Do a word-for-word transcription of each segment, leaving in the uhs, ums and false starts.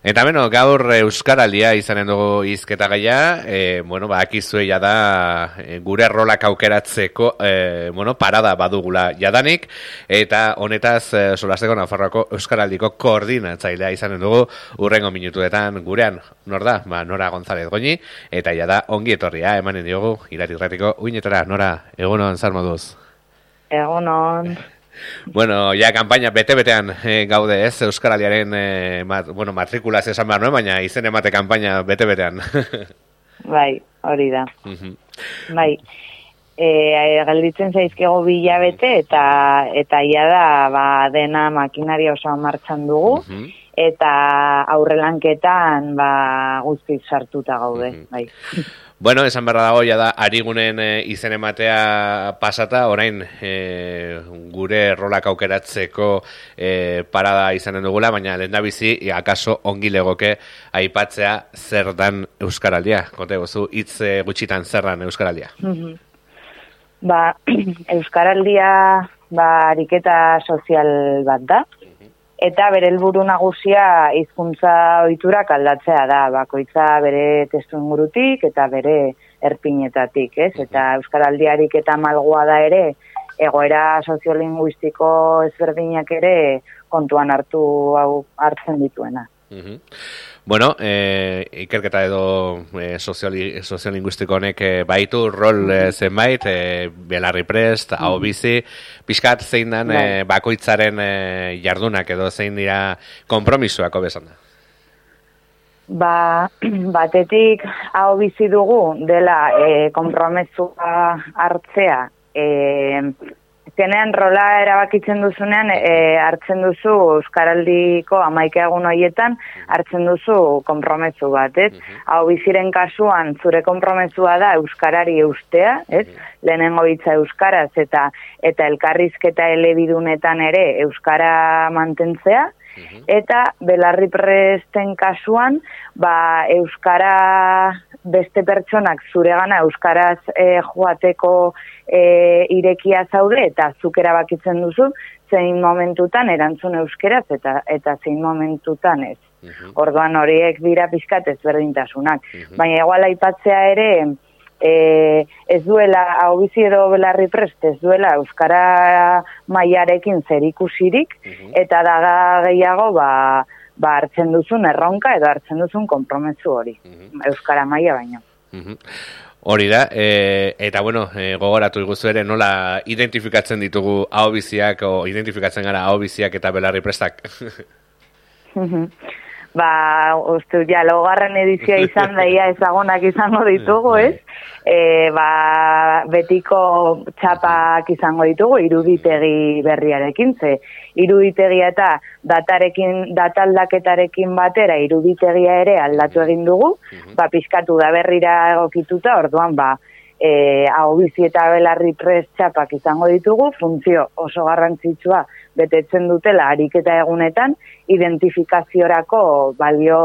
Eta beno, gaur Euskaraldia izanen dugu hizketa gaia, e, bueno, ba, akizue jada e, gure rolak aukeratzeko, e, bueno, parada badugula jadanik, eta honetaz e, solasteko Nafarroako Euskaraldiko koordinatzailea izanen dugu urrengo minutuetan gurean, nor da? Ba, Nora González Goñi, eta jada ongi etorria, emanen diogu, Irati-Irratiko uinetara, Nora, egunon, zer moduz? Egunon. Bueno, ja, kanpaina bete-betean eh, gaude ez, Euskaraldiaren eh, mat, bueno, matrikulaz esan behar nuen, baina izen emate kanpaina bete-betean. Bai, hori da. Uh-huh. Bai, e, gelditzen zaizkego bilabete eta eta ia da ba, dena makinaria osoa martxan dugu, uh-huh. eta aurrelanketan ba, guztiz sartuta gaude. Uh-huh. Bai. Bueno, esan berra dago, ja da, arigunen e, izen ematea pasata, orain e, gure rolak aukeratzeko e, parada izanen dugula, baina lehendabizi, akaso ongi legoke aipatzea zer dan Euskaraldia. Konte gozu, hitz e, gutxitan zer dan Euskaraldia. Mm-hmm. Ba, Euskaraldia ba, ariketa sozial bat da. Eta bere helburu nagusia hizkuntza ohiturak aldatzea da, bakoitza bere testuingurutik eta bere erpinetatik, ez? Eta Euskaraldiarik eta malgoa da ere, egoera soziolinguistiko ezberdinak ere kontuan hartu hau hartzen dituena. Uh-huh. Bueno, eh, ikerketa edo eh, sozioli, soziolinguistiko honek eh, baitu rol eh, zenbait, eh, belarri prest, uh-huh. hau bizi, pixkat zein dan eh, bakoitzaren eh, jardunak edo zein dira konpromisoak hobesan da? Ba, batetik hau bizi dugu dela eh, konpromesua hartzea, eh, zenean rola erabakitzen duzunean e, hartzen duzu Euskaraldiko hamaika egun horietan hartzen duzu konpromezu bat, ez? Uh-huh. Hau biziren kasuan zure konpromezua da euskarari eustea, ez? Uh-huh. Lehenengo hitza euskaraz eta eta elkarrizketa elebidunetan ere euskara mantentzea. Uh-huh. Eta belarri presten kasuan, ba, euskara beste pertsonak zuregana euskaraz e, joateko e, irekia zaude eta zuk erabakitzen duzu zein momentutan erantzun euskeraz eta eta zein momentutan ez. Uh-huh. Orduan horiek dira pixkat ezberdintasunak. Uh-huh. Baina igual aipatzea ere E, ez duela, hau bizi edo belarri prest, ez duela euskara mailarekin zerikusirik, uh-huh. eta daga gehiago ba, ba hartzen duzun erronka edo hartzen duzun konpromezu hori, uh-huh. euskara maila baino. Uh-huh. Hori da, e, eta bueno, e, gogoratu iguzu ere nola identifikatzen ditugu hau biziak, o identifikatzen gara hau biziak eta belarri prestak? Uh-huh. Ba, uste, ja, logarren edizioa izan daia ezagunak izango ditugu, ez? E, ba, betiko txapak izango ditugu, iruditegi berriarekin, ze iruditegia eta datarekin, dataldaketarekin batera iruditegia ere aldatu egin dugu, ba, pizkatu da berrira egokituta, orduan, ba, e, hau bizi eta belarri prest txapak izango ditugu, funtzio oso garrantzitsua betetzen dutela ariketa egunetan, identifikaziorako balio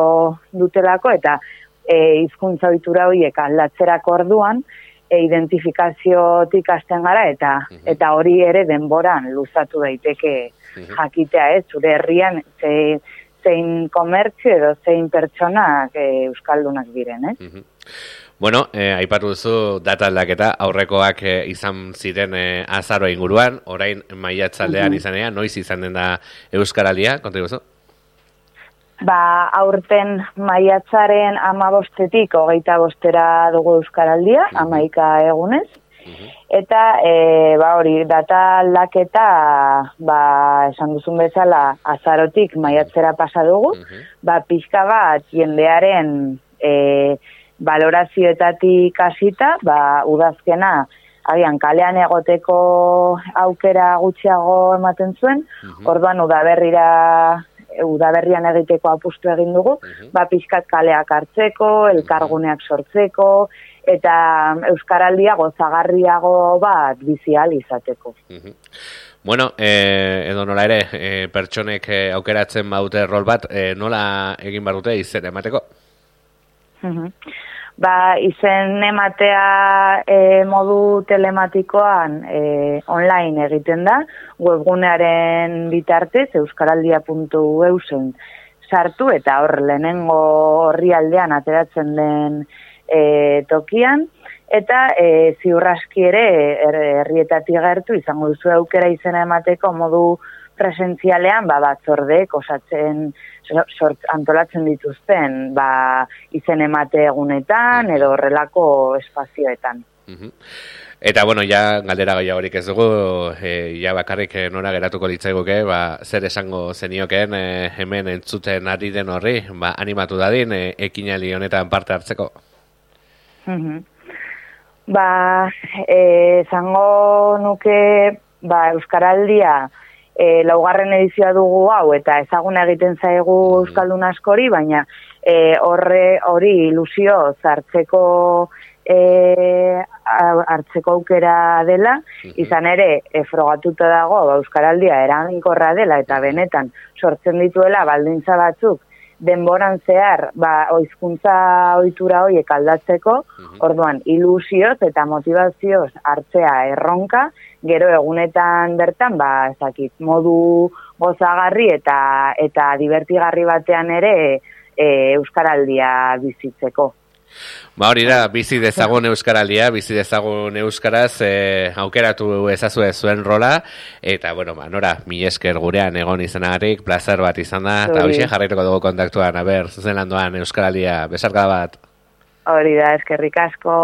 dutelako eta e, hizkuntza ohitura horiek aldatzerako orduan e, identifikaziotik hasten gara eta uh-huh. eta hori ere denboran luzatu daiteke uh-huh. jakitea, ez, zure herrian ze, zein komertzio edo zein pertsonak e, euskaldunak diren, ez? Uh-huh. Bueno, eh, aipatu duzu data aldaketa aurrekoak eh, izan ziren eh, azaro inguruan, orain maiatzaldean uh-huh. izanean, noiz izan den da Euskaraldia, konta iguzu? Ba, aurten maiatzaren amabostetik hogeita bostera dugu Euskaraldia, uh-huh. hamaika egunez, uh-huh. eta e, ba, hori data aldaketa, ba, esan duzun bezala azarotik maiatzera pasa dugu, uh-huh. ba, pixka bat jendearen e, valorazioetatik hasita, ba, udazkena, agian kalean egoteko aukera gutxiago ematen zuen, uh-huh. orduan udaberrira, udaberrian egiteko apustu egin dugu, uh-huh. ba, pixkat kaleak hartzeko, elkarguneak sortzeko, eta Euskaraldia gozagarriago bat bizial izateko. Uh-huh. Bueno, eh, edo nola ere, eh, pertsonek eh, aukeratzen baute rol bat, eh, nola egin behar dute izen emateko? Uh-huh. Ba, izen ematea e, modu telematikoan e, online egiten da, webgunearen bitartez, euskaraldia puntu eusen sartu eta hor lehenengo orrialdean ateratzen den e, tokian, eta e, ziurraski ere herrietatik gertu izango duzu aukera izena emateko modu presentzialean ba, batzordeek osatzen sort, antolatzen dituzten ba, izen emate egunetan edo horrelako espazioetan. Uh-huh. Eta, bueno, ja galdera gehiagorik ez dugu, e, ja bakarrik nora geratuko litzaiguke, ba, zer esango zenioken e, hemen entzuten ari den horri, ba, animatu dadin, e, ekinaldi honetan parte hartzeko. Uh-huh. Ba, e, zango nuke, ba, Euskaraldia e, laugarren edizioa dugu hau, eta ezaguna egiten zaigu Euskaldun askori, baina e, horre hori ilusio zartzeko e, hartzeko aukera dela, izan ere, e, frogatuta dago, ba, Euskaraldia eraginkorra dela, eta benetan sortzen dituela baldintza batzuk, denboran zehar, ba, oizkuntza ohitura horiek aldatzeko, orduan, ilusioz eta motivazioz hartzea erronka, gero egunetan bertan, ba, ezakit, modu gozagarri eta eta divertigarri batean ere e, Euskaraldia bizitzeko. Ba hori da, bizi dezagun Euskaraldia, bizi dezagun Euskaraz, e, aukeratu ezazue zuen rola, eta, bueno, ba, nora, mi esker gurean egon izanagatik, placer bat izan da, eta hoxe jarraituko dugu kontaktuan, a ber, zuzen landoan Euskaraldia, besarkada bat. Hori da, eskerrik asko.